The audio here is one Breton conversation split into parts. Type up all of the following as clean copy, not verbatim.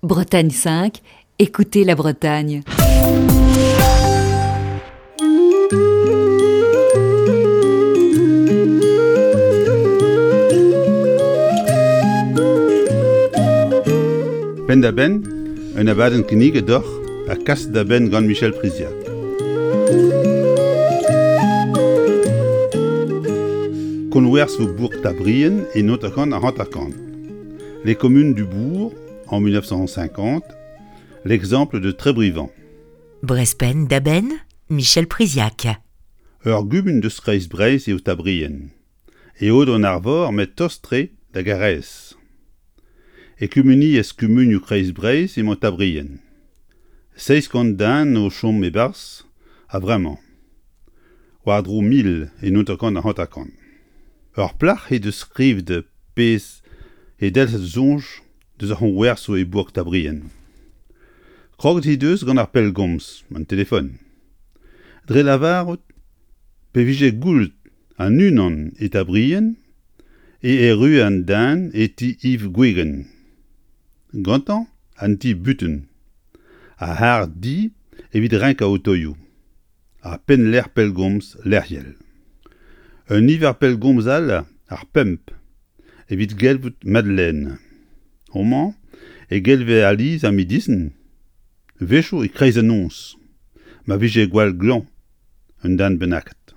Bretagne 5, écoutez la Bretagne. Penn-da-benn, un abadenn kinniget deoc'h ha kaset da benn gant Michel Priziac. Konwerzh vo bourk Tabrien e 1950. Les communes du bourg en 1950, l'exemple de Trébrivant. Brespenn da benn, Michel Priziac. Ur gumun deus Kreiz-Breizh eo Tabrien. E Aod-an-Arvor met tost-tre da Garaez. E kumuniezh kumunioù Kreiz-Breizh emañ Tabrien. 700 den o chom e-barzh a-vremañ. War-dro 1000 e 1950. Ur plac'h he deus skrivet pezh he delc'het soñj deus ar c'hoñwersoù e bourk Tabrien. Kroget he deus gant ar pellgomz, an telefon. Dre lavarout pe vije goullet an unan e Tabrien e errue an den e ti Yves Gwegen. Gantañ an ti butun, ar c'harr-di evit renkañ otoioù. ha pennlec'h pellgomz lec'hiel. Un niver pellgomz all, ar pemp, evit gelvout Madeleine. Homañ e gelve alies ar medisin, wechoù e-kreiz an noz, ma vije gwall glañv un den bennaket.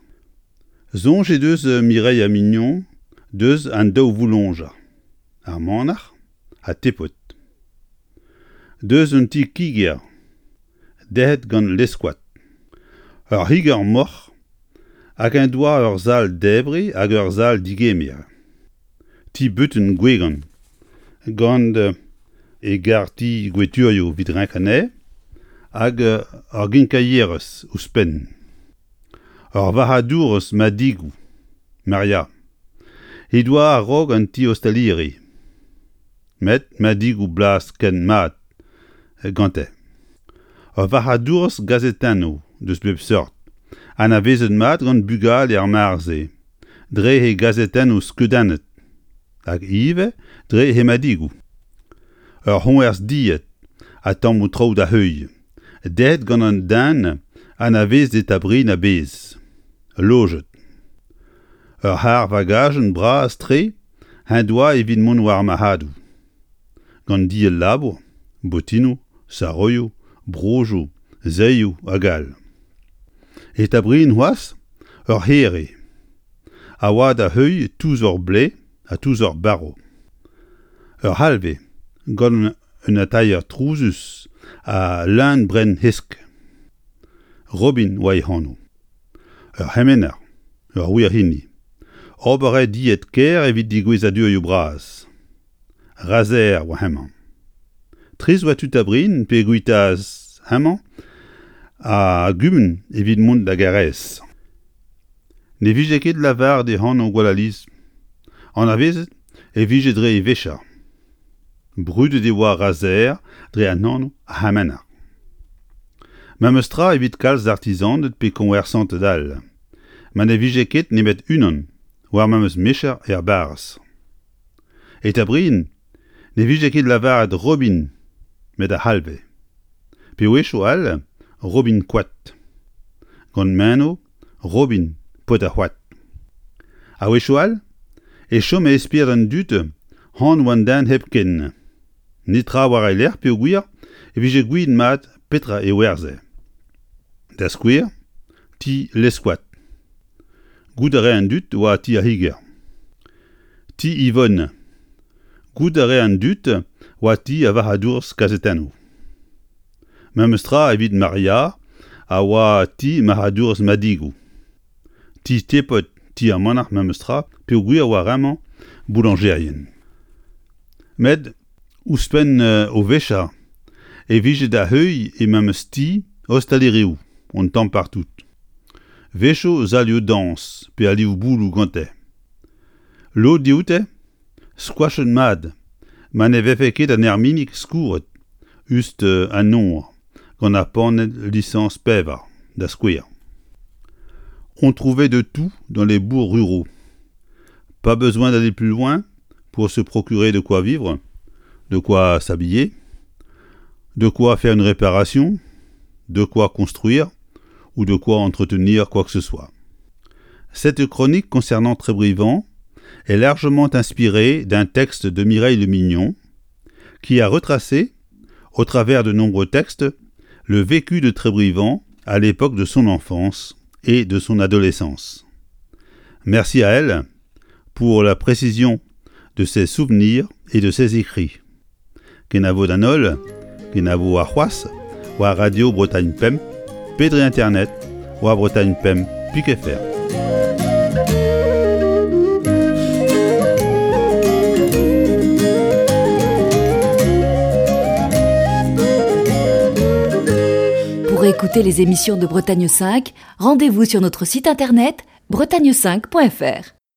Soñj he deus Mireille Mignon deus an daou vouloñjer, ar manac'h ha Tepod. Deus un ti kiger Derc'het gant Leskoad. Ur c'higer-moc'h hag en doa ur sal-debriñ hag ur sal-degemer. Ti-butun Gwegan gant e garr-ti gweturioù evit renkañ anezhe hag ur ginkailherez ouzhpenn. Ur varc'hadourez madigoù, Maria, he doa a-raok an ti-ostaliri. Met madigoù blaz ken mat gante. Ur varc'hadourez gazetennoù deus bep seurt, anavezet mat gant bugale ar mare-se, dre he gazetennoù skeudennet, hag ivez dre he madigoù. Ur c'hoñvers dilhad ha tammoù traoù da heuilh, dezhet gant un den anavezet e Tabrin a-bezh, lojet. Ur c'harr-vagajenn bras-tre en doa evit mont war ar marc'hadoù. Gant diell labour, botinoù, saroioù, brozhioù, saeioù hag all. E Tabrin c'hoazh ur c'here a oa da heuilh touzor blez ha touzor barv. Ur c'halvez gant un atailher trouzus ha leun brenn hesk. Robin oa e anv. Ur c'hemener, ur wir hini. Ober a rae died kaer evit degouezhadurioù bras. Razer oa hemañ. Trist oa tud Abrin pe guitaas hemañ a gumun evit mont da Garaez. Ne vije ket lavaret e anv gwall alies. Anavezet e vije dre e vecher. Brudet e oa Razer dre an anv a c'hemener. Memes tra evit kalz artizaned pe koñversanted all, ma ne vije ket nemet unan war memes micher er barrez. E Tabrin ne vije ket lavaret Robin met ar c'halvez, pe wechoù all Robin Koad, gant meno Robin paotr ar c'hoad. A-wechoù all e chome e spered an dud anv an den hepken. Netra war e lerc'h peogwir e vije gouiet mat petra e werzhe. Da skouer, ti Leskoad. Goût a rae an dud oa ti ar c'higer. Ti Yvonne. Goût a rae an dud oa ti ar varc'hadourez kazetennoù. Memes tra evit Maria a oa ti marc'hadourez madigoù. Ti Tepod, ti ar manac'h memes tra peogwir oa remañ boulañjerien. Met ouzhpenn o vechañ e vije da heuilh e memes ti ostalerioù un tamm partout. Wechoù salioù dañs pe alioù bouloù gante. Lod dioute skoachet mat ma ne vefe ket an erminig skourret us an nor gant ar panell lisañs pevar, da skouer. On trouvait de tout dans les bourgs ruraux. Pas besoin d'aller plus loin pour se procurer de quoi vivre, de quoi s'habiller. De quoi faire une réparation, de quoi construire ou de quoi entretenir quoi que ce soit. Cette chronique concernant Trébrivant est largement inspirée d'un texte de Mireille Le Mignon qui a retracé, au travers de nombreux textes, le vécu de Trébrivant à l'époque de son enfance et de son adolescence. Merci à elle pour la précision de ses souvenirs et de ses écrits. Kenavo d'an holl, kenavo arc'hoazh war Radio Bretagne Pemp pe dre internet war Bretagne Pemp pik fr. Pour écouter les émissions de Bretagne 5, rendez-vous sur notre site internet bretagne5.fr.